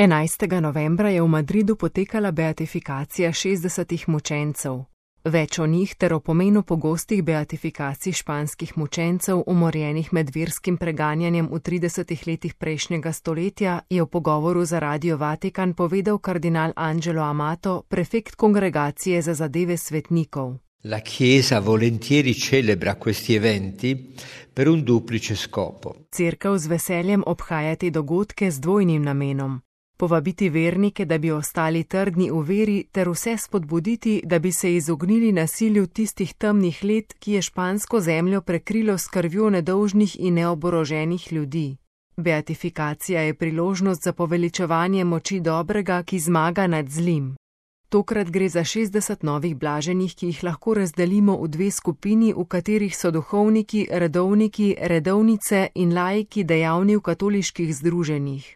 11. novembra je v Madridu potekala beatifikacija 60 mučencev. Več o njih ter o pomenu pogostih beatifikacij španskih mučencev, umorjenih med verskim preganjanjem v 30 letih prejšnjega stoletja, je v pogovoru za Radio Vatikan povedal kardinal Angelo Amato, prefekt Kongregacije za zadeve svetnikov. La Chiesa volentieri celebra questi eventi per un duplice scopo. Cerkev z veseljem obhaja te dogodke z dvojnim namenom. Povabiti vernike, da bi ostali trdni v veri, ter vse spodbuditi, da bi se izognili nasilju tistih temnih let, ki je špansko zemljo prekrilo s krvjo nedolžnih in neoboroženih ljudi. Beatifikacija je priložnost za poveličevanje moči dobrega, ki zmaga nad zlim. Tokrat gre za 60 novih blaženih, ki jih lahko razdelimo v dve skupini, v katerih so duhovniki, redovniki, redovnice in laiki dejavni v katoliških združenjih.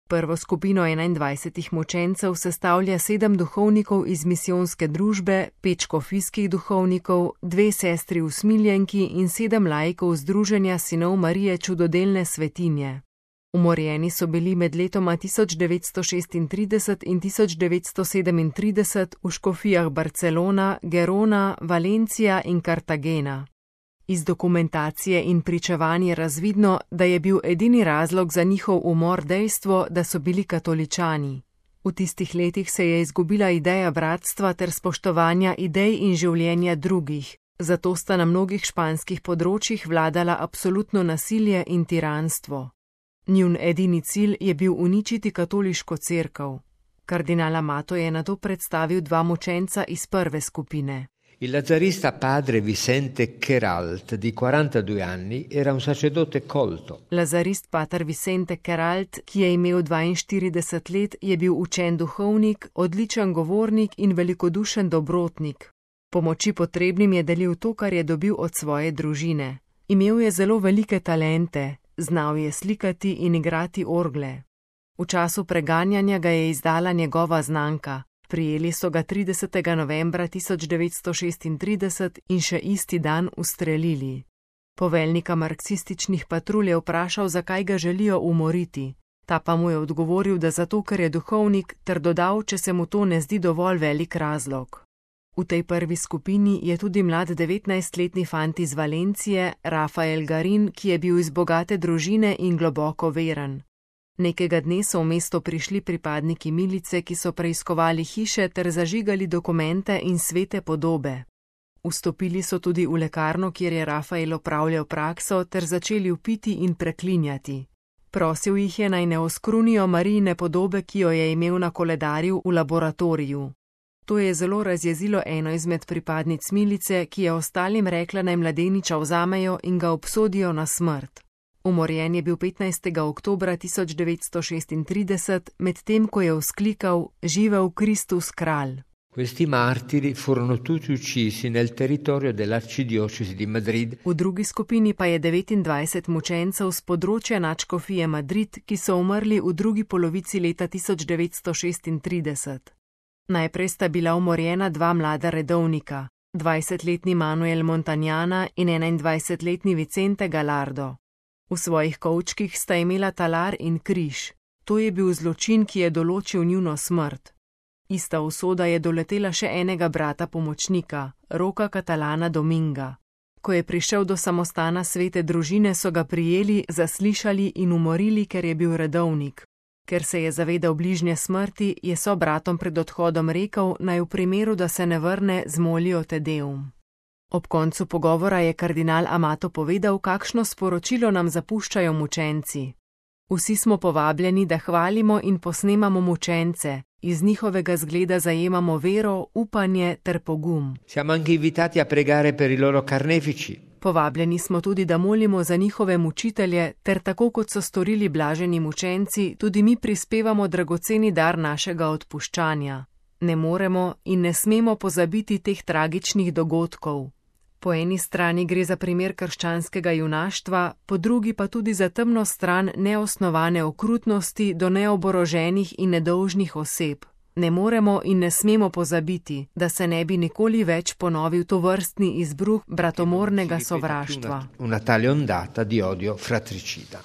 Prvo skupino 21 mučencev sestavlja 7 duhovnikov iz misijonske družbe, 5 škofijskih duhovnikov, 2 sestri usmiljenki in 7 laikov združenja sinov Marije čudodelne svetinje. Umorjeni so bili med letoma 1936 in 1937 v škofijah Barcelona, Gerona, Valencija in Cartagena. Iz dokumentacije in pričevanj je razvidno, da je bil edini razlog za njihov umor dejstvo, da so bili katoličani. V tistih letih se je izgubila ideja bratstva ter spoštovanja idej in življenja drugih, zato sta na mnogih španskih področjih vladala absolutno nasilje in tiranstvo. Njun edini cilj je bil uničiti katoliško cerkev. Kardinal Amato je nato predstavil 2 mučenca iz prve skupine. Il lazzarista padre Vicente Queralt, di 42 anni, era un sacerdote colto. Lazarist pater Vicente Queralt, ki je imel 42 let, je bil učen duhovnik, odličen govornik in velikodušen dobrotnik. Pomoči potrebnim je delil to, kar je dobil od svoje družine. Imel je zelo velike talente, znal je slikati in igrati orgle. V času preganjanja ga je izdala njegova znanka. Prijeli so ga 30. novembra 1936 in še isti dan ustrelili. Poveljnika marksističnih patrulj je vprašal, zakaj ga želijo umoriti. Ta pa mu je odgovoril, da zato, ker je duhovnik, ter dodal, če se mu to ne zdi dovolj velik razlog. V tej prvi skupini je tudi mlad 19-letni fant iz Valencije, Rafael Garin, ki je bil iz bogate družine in globoko veren. Nekega dne so v mesto prišli pripadniki milice, ki so preiskovali hiše ter zažigali dokumente in svete podobe. Vstopili so tudi v lekarno, kjer je Rafael opravljal prakso, ter začeli vpiti in preklinjati. Prosil jih je, naj ne oskrunijo Marijine podobe, ki jo je imel na koledarju v laboratoriju. To je zelo razjezilo eno izmed pripadnic milice, ki je ostalim rekla, naj mladeniča vzamejo in ga obsodijo na smrt. Umorjen je bil 15. oktobra 1936, medtem ko je vzklikal: "Živel Kristus kralj." Questi martiri furono tutti uccisi nel territorio dell'arcidiocesi di Madrid. V drugi skupini pa je 29 mučencev z področja nadškofije Madrid, ki so umrli v drugi polovici leta 1936. Najprej sta bila umorjena 2 mlada redovnika, 20-letni Manuel Montagnana in 21-letni Vicente Gallardo. V svojih kovčkih sta imela talar in križ. To je bil zločin, ki je določil njuno smrt. Ista usoda je doletela še enega brata pomočnika, Roka Catalana Dominga. Ko je prišel do samostana svete družine, so ga prijeli, zaslišali in umorili, ker je bil redovnik. Ker se je zavedal bližnje smrti, je sobratom pred odhodom rekel, naj v primeru, da se ne vrne, zmolijo Te Deum. Ob koncu pogovora je kardinal Amato povedal, kakšno sporočilo nam zapuščajo mučenci. Vsi smo povabljeni, da hvalimo in posnemamo mučence, iz njihovega zgleda zajemamo vero, upanje ter pogum. Siamo anche invitati a pregare per i loro carnefici. Povabljeni smo tudi, da molimo za njihove mučitelje, ter tako kot so storili blaženi mučenci, tudi mi prispevamo dragoceni dar našega odpuščanja. Ne moremo in ne smemo pozabiti teh tragičnih dogodkov. Po eni strani gre za primer krščanskega junaštva, po drugi pa tudi za temno stran neosnovane okrutnosti do neoboroženih in nedolžnih oseb. Ne moremo in ne smemo pozabiti, da se ne bi nikoli več ponovil tovrstni izbruh bratomornega sovraštva. Una tale ondata di odio fratricida.